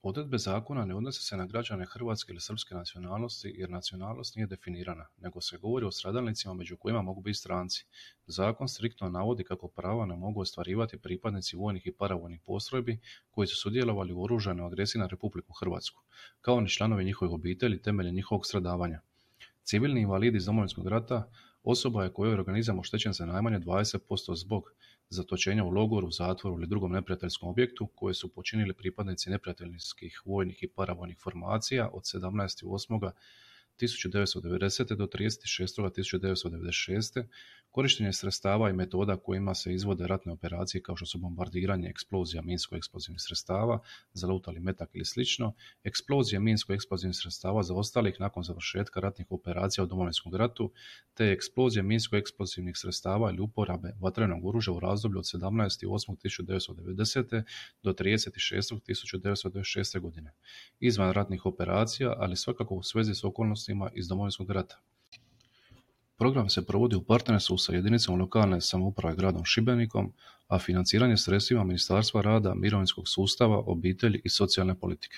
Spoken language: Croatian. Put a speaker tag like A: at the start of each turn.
A: Odredbe zakona ne odnose se na građane hrvatske ili srpske nacionalnosti jer nacionalnost nije definirana, nego se govori o stradalnicima među kojima mogu biti stranci. Zakon striktno navodi kako prava ne mogu ostvarivati pripadnici vojnih i paravojnih postrojbi koji su sudjelovali u oružanoj agresiji na Republiku Hrvatsku, kao ni članovi njihovih obitelji temeljem njihovog stradavanja. Civilni invalid iz Domovinskog rata osoba je kojoj je organizam oštećen za najmanje 20% zbog zatočenja u logoru, zatvoru ili drugom neprijateljskom objektu koje su počinili pripadnici neprijateljskih vojnih i paravojnih formacija od 17.8.1990. do 30.6.1996. Korištenje sredstava i metoda kojima se izvode ratne operacije kao što su bombardiranje, eksplozija minsko-eksplozivnih sredstava, zalutali metak ili slično, eksplozije minsko-eksplozivnih sredstava zaostalih nakon završetka ratnih operacija u Domovinskom ratu, te eksplozije minsko-eksplozivnih sredstava ili uporabe vatrenog oružja u razdoblju od 17.8.1990. do 30.6.1996. godine, izvan ratnih operacija, ali svakako u svezi s okolnostima iz Domovinskog rata. Program se provodi u partnerstvu sa jedinicom lokalne samouprave gradom Šibenikom, a financiranje sredstvima Ministarstva rada, mirovinskog sustava, obitelji i socijalne politike.